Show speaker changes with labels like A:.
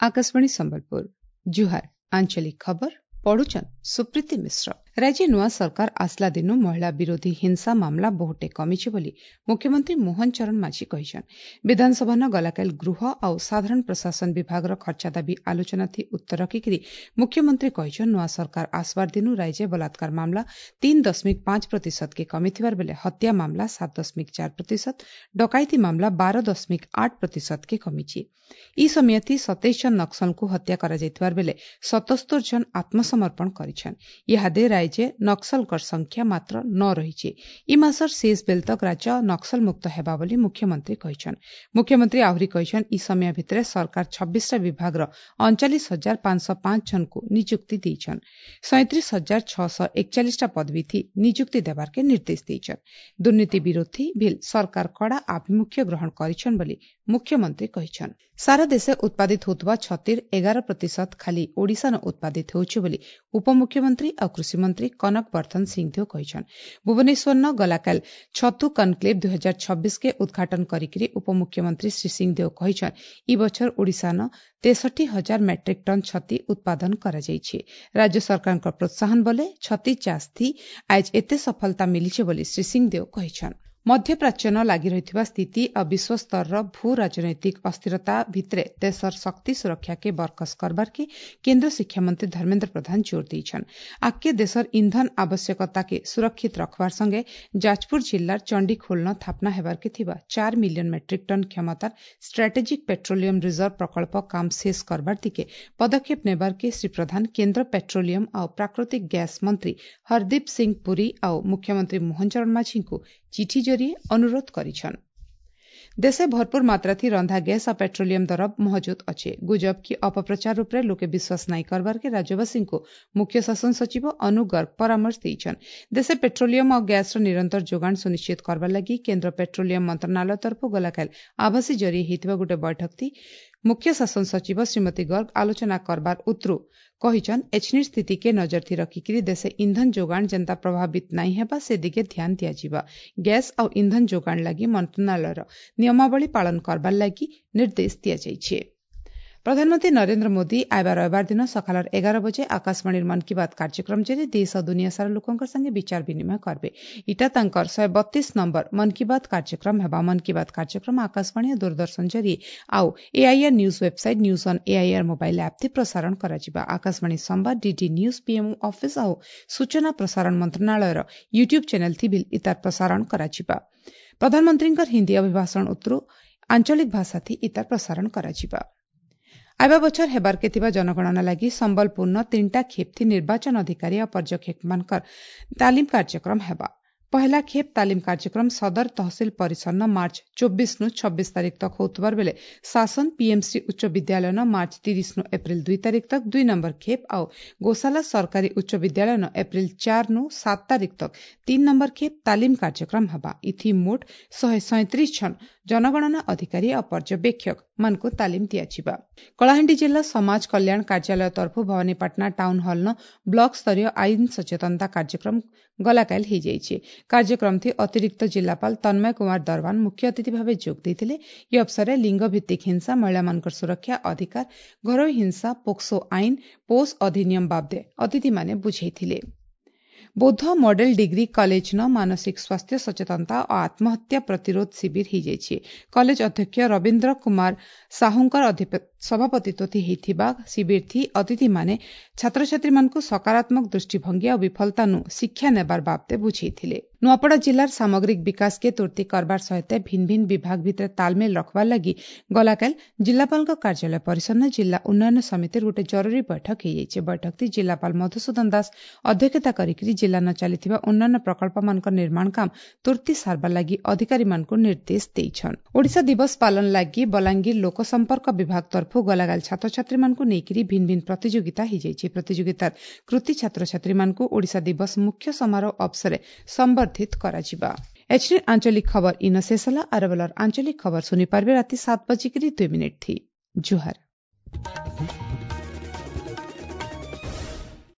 A: Akashvani Sambalpur ଜୁହାର ଆଞ୍ଚଳିକ ଖବର ପଢୁଛନ୍ ସୁପ୍ରୀତି ମିଶ୍ର। ରାଜ୍ୟ ନୂଆ ସରକାର ଆସିଲା ଦିନୁ ମହିଳା ବିରୋଧୀ ହିଂସା ମାମଲା ବହୁଟେ କମିଛି ବୋଲି ମୁଖ୍ୟମନ୍ତ୍ରୀ ମୋହନ ଚରଣ ମାଝୀ କହିଛନ୍। ବିଧାନସଭାନ ଗଲାକାଲି ଗୃହ ଆଉ ସାଧାରଣ ପ୍ରଶାସନ ବିଭାଗର ଖର୍ଚ୍ଚା ଦାବି ଆଲୋଚନା ଥି ଉତ୍ତର ରଖିକିରି ମୁଖ୍ୟମନ୍ତ୍ରୀ କହିଛନ୍, ନୂଆ ସରକାର ଆସବାର ଦିନୁ ରାଜ୍ୟ ବଳାତ୍କାର ମାମଲା 3.5% କେ କମିଥିବାର ବେଲେ ହତ୍ୟା ମାମଲା 7.4%, ଡକାୟତି ମାମଲା 12.8% କେ କମିଛି। ଇ ସମୟଥି 27 ଜଣ ନକ୍ସଲଙ୍କୁ ହତ୍ୟା କରାଯାଇଥିବାର ବେଲେ 77 ଜଣ ଆତ୍ମସମର୍ପଣ କରିଛନ୍। ଇହାଦେ ରାଜ୍ୟ ନକ୍ସଲଙ୍କର ସଂଖ୍ୟା ମାତ୍ର 9 ରହିଛି। ଇ ମାସର ଶେଷ ବେଲ ତକ ରାଜ୍ୟ ନକ୍ସଲ ମୁକ୍ତ ହେବା ବୋଲି ମୁଖ୍ୟମନ୍ତ୍ରୀ କହିଛନ୍। ମୁଖ୍ୟମନ୍ତ୍ରୀ ଆହୁରି କହିଛନ୍, ଇ ସମୟ ଭିତରେ ସରକାର 26ଟା ବିଭାଗର 39,505 ଜଣଙ୍କୁ ନିଯୁକ୍ତି ଦେଇଛନ୍। 37,641ଟା ପଦବୀ ଥି ନିଯୁକ୍ତି ଦେବାର୍କେ ନିର୍ଦ୍ଦେଶ ଦେଇଛନ୍। ଦୁର୍ନୀତି ବିରୋଧୀ ଭିଲ୍ ସରକାର କଡ଼ା ଆଭିମୁଖ୍ୟ ଗ୍ରହଣ କରିଛନ୍ ବୋଲି ମୁଖ୍ୟମନ୍ତ୍ରୀ କହିଛନ୍। ସାରା ଦେଶେ ଉତ୍ପାଦିତ ହେଉଥିବା ଛତିର 11% ଖାଲି ଓଡ଼ିଶାନ ଉତ୍ପାଦିତ ହେଉଛି ବୋଲି ଉପମୁଖ୍ୟମନ୍ତ୍ରୀ ଆଉ କୃଷିମନ୍ତ୍ରୀ କନକ ବର୍ଦ୍ଧନ ସିଂଦେଓ କହିଛନ୍। ଭୁବନେଶ୍ୱରନ ଗଲାକାଲି ଛତୁ କନକ୍ଲେଭ୍ 2026 କେ ଉଦ୍ଘାଟନ କରିକିରି ଉପମୁଖ୍ୟମନ୍ତ୍ରୀ ଶ୍ରୀ ସିଂଦେଓ କହିଛନ୍, ଇ ବଛର ଓଡ଼ିଶାନ 63,000 ମେଟ୍ରିକ୍ ଟନ୍ ଛତି ଉତ୍ପାଦନ କରାଯାଇଛି। ରାଜ୍ୟ ସରକାରଙ୍କ ପ୍ରୋତ୍ସାହନ ବଲେ ଛତି ଚାଷ ଥି ଆଏଜ ଏତେ ସଫଳତା ମିଲିছে ବୋଲି ଶ୍ରୀ ସିଂଦେଓ କହିଛନ୍। ମଧ୍ୟପ୍ରାଚ୍ୟନ ଲାଗି ରହିଥିବା ସ୍ଥିତି ଆଉ ବିଶ୍ୱସ୍ତରର ଭୂ ରାଜନୈତିକ ଅସ୍ଥିରତା ଭିତରେ ଦେଶର ଶକ୍ତି ସୁରକ୍ଷାକେ ବରକସ କରବାର୍କେ କେନ୍ଦ୍ର ଶିକ୍ଷାମନ୍ତ୍ରୀ ଧର୍ମେନ୍ଦ୍ର ପ୍ରଧାନ ଜୋର ଦେଇଛନ୍। ଆଗକେ ଦେଶର ଇନ୍ଧନ ଆବଶ୍ୟକତାକେ ସୁରକ୍ଷିତ ରଖବାର ସଙ୍ଗେ ଯାଜପୁର ଜିଲ୍ଲାର ଚଣ୍ଡିଖୋଲନ ସ୍ଥାପନା ହେବାର୍କେ ଥିବା 4 ମିଲିୟନ ମେଟ୍ରିକ୍ ଟନ୍ କ୍ଷମତାର ଷ୍ଟ୍ରାଟେଜିକ୍ ପେଟ୍ରୋଲିୟମ ରିଜର୍ଭ ପ୍ରକଳ୍ପ କାମ ଶେଷ କରବାର ଦିକେ ପଦକ୍ଷେପ ନେବାର୍କେ ଶ୍ରୀ ପ୍ରଧାନ କେନ୍ଦ୍ର ପେଟ୍ରୋଲିୟମ ଆଉ ପ୍ରାକୃତିକ ଗ୍ୟାସ୍ ମନ୍ତ୍ରୀ ହରଦୀପ ସିଂ ପୁରୀ ଆଉ ମୁଖ୍ୟମନ୍ତ୍ରୀ ମୋହନ ଚରଣ ମାଝୀଙ୍କୁ ଚିଠି ଜରିଏ ଅନୁରୋଧ କରିଛନ୍। ଦେଶେ ଭରପୁର ମାତ୍ରାଥି ରନ୍ଧା ଗ୍ୟାସ୍ ଆଉ ପେଟ୍ରୋଲିୟମ ଦର ମହଜୁଦ ଅଛେ। ଗୁଜବ କି ଅପପ୍ରଚାର ଉପରେ ଲୋକେ ବିଶ୍ୱାସ ନାଇଁ କରବାର୍କେ ରାଜ୍ୟବାସୀଙ୍କୁ ମୁଖ୍ୟ ଶାସନ ସଚିବ ଅନୁ ଗର୍ଗ ପରାମର୍ଶ ଦେଇଛନ୍। ଦେଶେ ପେଟ୍ରୋଲିୟମ ଆଉ ଗ୍ୟାସ୍ର ନିରନ୍ତର ଯୋଗାଣ ସୁନିଶ୍ଚିତ କରବାର ଲାଗି କେନ୍ଦ୍ର ପେଟ୍ରୋଲିୟମ ମନ୍ତ୍ରଣାଳୟ ତରଫରୁ ଗଲାକାଲି ଆଭାସୀ ଜରିଏ ହେଇଥିବା ଗୋଟେ ବୈଠକ ମୁଖ୍ୟ ଶାସନ ସଚିବ ଶ୍ରୀମତୀ ଗର୍ଗ ଆଲୋଚନା କରବାର ଉତରୁ କହିଛନ୍, ଏଛନିର ସ୍ଥିତିକେ ନଜର ଥି ରଖିକିରି ଦେଶେ ଇନ୍ଧନ ଯୋଗାଣ ଯେନ୍ତା ପ୍ରଭାବିତ ନାଇଁ ହେବା ସେ ଦିଗେ ଧ୍ୟାନ ଦିଆଯିବା। ଗ୍ୟାସ୍ ଆଉ ଇନ୍ଧନ ଯୋଗାଣ ଲାଗି ମନ୍ତ୍ରଣାଳୟର ନିୟମାବଳୀ ପାଳନ କରବାର ଲାଗି ନିର୍ଦ୍ଦେଶ ଦିଆଯାଇଛି। ପ୍ରଧାନମନ୍ତ୍ରୀ ନରେନ୍ଦ୍ର ମୋଦି ଆଇବା ରବିବାର ଦିନ ସକାଳର 11 ବଜେ ଆକାଶବାଣୀର ମନ୍ କି ବାତ୍ କାର୍ଯ୍ୟକ୍ରମ ଜରିଏ ଦେଶ ଓ ଦୁନିଆ ସାରା ଲୋକଙ୍କ ସାଙ୍ଗେ ବିଚାର ବିନିମୟ କରିବେ। ଇଟା ତାଙ୍କର 132 ନମ୍ବର ମନ୍ କି ବାତ୍ କାର୍ଯ୍ୟକ୍ରମ ହେବା। ମନ୍ କି ବାତ୍ କାର୍ଯ୍ୟକ୍ରମ ଆକାଶବାଣୀ ଓ ଦୂରଦର୍ଶନ ଜରିଏ ଆଉ AIR news website, news on AIR mobile app ଥି ପ୍ରସାରଣ କରାଯିବା। ଆକାଶବାଣୀ ସମ୍ବାଦ, ଡିଡି ନ୍ୟୁଜ୍, ପିଏମ୍ଓ ଅଫିସ୍ ଆଉ ସୂଚନା ପ୍ରସାରଣ ମନ୍ତ୍ରଣାଳୟର ୟୁଟ୍ୟୁବ୍ ଚ୍ୟାନେଲ୍ ଥି ବି ଇତାର ପ୍ରସାରଣ କରାଯିବା। ପ୍ରଧାନମନ୍ତ୍ରୀଙ୍କର ହିନ୍ଦୀ ଅଭିଭାଷଣ ଉତ୍ତରୁ ଆଞ୍ଚଳିକ ଭାଷା ଥି ଇତାର ପ୍ରସାରଣ କରାଯିବା। ଆଇବା ବଛର ହେବାର୍କେ ଥିବା ଜନଗଣନା ଲାଗି ସମ୍ବଲପୁରନ 3ଟା ଖେପ୍ ଥି ନିର୍ବାଚନ ଅଧିକାରୀ ଆଉ ପର୍ଯ୍ୟବେକ୍ଷକମାନଙ୍କର ତାଲିମ କାର୍ଯ୍ୟକ୍ରମ ହେବା। ପହଲା ଖେପ୍ ତାଲିମ କାର୍ଯ୍ୟକ୍ରମ ସଦର ତହସିଲ ପରିସରନ ମାର୍ଚ୍ଚ 24 ନୁ 26 ତାରିଖ ତକ ହେଉଥିବାର ବେଲେ ଶାସନ ପିଏମସି ଉଚ୍ଚ ବିଦ୍ୟାଳୟନ ମାର୍ଚ୍ଚ 30 ନୁ ଏପ୍ରିଲ 2 ତାରିଖ ତକ 2 ନମ୍ବର ଖେପ୍ ଆଉ ଗୋଶାଲା ସରକାରୀ ଉଚ୍ଚ ବିଦ୍ୟାଳୟନ ଏପ୍ରିଲ 4 ନୁ 7 ତାରିଖ ତକ 3 ନମ୍ବର ଖେପ୍ ତାଲିମ କାର୍ଯ୍ୟକ୍ରମ ହେବା। ଇଥି ମୋଟ 137 ଜଣ ଜନଗଣନା ଅଧିକାରୀ ଆଉ ପର୍ଯ୍ୟବେକ୍ଷକ ମାନଙ୍କୁ ତାଲିମ ଦିଆଯିବା। କଳାହାଣ୍ଡି ଜିଲ୍ଲା ସମାଜ କଲ୍ୟାଣ କାର୍ଯ୍ୟାଳୟ ତରଫରୁ ଭବାନୀପାଟଣା ଟାଉନ ହଲ୍ନ ବ୍ଲକ ସ୍ତରୀୟ ଆଇନ ସଚେତନତା କାର୍ଯ୍ୟକ୍ରମ ଗଲାକାଲି ହେଇଯାଇଛି। କାର୍ଯ୍ୟକ୍ରମ ଅତିରିକ୍ତ ଜିଲ୍ଲାପାଳ ତନ୍ମୟ କୁମାର ଦରୱାନ ମୁଖ୍ୟ ଅତିଥି ଭାବେ ଯୋଗ ଦେଇଥିଲେ। ଏହି ଅବସରରେ ଲିଙ୍ଗଭିତ୍ତିକ ହିଂସା, ମହିଳାମାନଙ୍କର ସୁରକ୍ଷା ଅଧିକାର, ଘରୋଇ ହିଂସା, ପୋକ୍ସୋ ଆଇନ, ପୋଷ ଅଧିନିୟମ ବାବଦେ ଅତିଥିମାନେ ବୁଝାଇଥିଲେ। ବୌଦ୍ଧ ମଡେଲ ଡିଗ୍ରୀ କଲେଜନ ମାନସିକ ସ୍ୱାସ୍ଥ୍ୟ ସଚେତନତା ଓ ଆତ୍ମହତ୍ୟା ପ୍ରତିରୋଧ ଶିବିର ହେଇଯାଇଛି। କଲେଜ ଅଧ୍ୟକ୍ଷ ରବୀନ୍ଦ୍ର କୁମାର ସାହୁଙ୍କର ସଭାପତିତ୍ୱ ହେଇଥିବା ଶିବିର ଅତିଥିମାନେ ଛାତ୍ରଛାତ୍ରୀମାନଙ୍କୁ ସକାରାତ୍ମକ ଦୃଷ୍ଟିଭଙ୍ଗୀ ଆଉ ବିଫଳତାନୁ ଶିକ୍ଷା ନେବାର ବାବଦେ ବୁଝେଇଥିଲେ। ନୂଆପଡ଼ା ଜିଲ୍ଲାର ସାମଗ୍ରିକ ବିକାଶକେ ତୁର୍ତି କରବାର ସହିତ ଭିନ୍ନ ଭିନ୍ନ ବିଭାଗ ଭିତରେ ତାଲମେଲ ରଖବାର ଲାଗି ଗଲାକାଲି ଜିଲ୍ଲାପାଳଙ୍କ କାର୍ଯ୍ୟାଳୟ ପରିସରରେ ଜିଲ୍ଲା ଉନ୍ନୟନ ସମିତିର ଗୋଟେ ଜରୁରୀ ବୈଠକ ହେଇଯାଇଛି। ବୈଠକଟି ଜିଲ୍ଲାପାଳ ମଧୁସୂଦନ ଦାସ ଅଧ୍ୟକ୍ଷତା କରିକି ଜିଲ୍ଲାନ ଚାଲିଥିବା ଉନ୍ନୟନ ପ୍ରକଳ୍ପମାନଙ୍କ ନିର୍ମାଣ କାମ ତୁର୍ତି ସାରବାର ଲାଗି ଅଧିକାରୀମାନଙ୍କୁ ନିର୍ଦ୍ଦେଶ ଦେଇଛନ୍। ଓଡ଼ିଶା ଦିବସ ପାଳନ ଲାଗି ବଲାଙ୍ଗୀର ଲୋକସମ୍ପର୍କ ବିଭାଗ ତରଫରୁ ଗଲାକାଲି ଛାତ୍ରଛାତ୍ରୀମାନଙ୍କୁ ନେଇକରି ଭିନ୍ନ ଭିନ୍ନ ପ୍ରତିଯୋଗିତା ହେଇଯାଇଛି। ପ୍ରତିଯୋଗିତାର କୃତି ଛାତ୍ରଛାତ୍ରୀମାନଙ୍କୁ ଓଡ଼ିଶା ଦିବସ ମୁଖ୍ୟ ସମାରୋହ ଅବସରରେ ସମ୍ବର୍ଦ୍ଧିତ କରାଯିବା। ଏଚନି ଆଞ୍ଚଳିକ ଖବର ଇନ ଶେଷ ହେଲା। ଆରବେଲର ଆଞ୍ଚଳିକ ଖବର ଶୁଣିପାରିବେ ରାତି 7:02 ଥି। ଜୁହାର।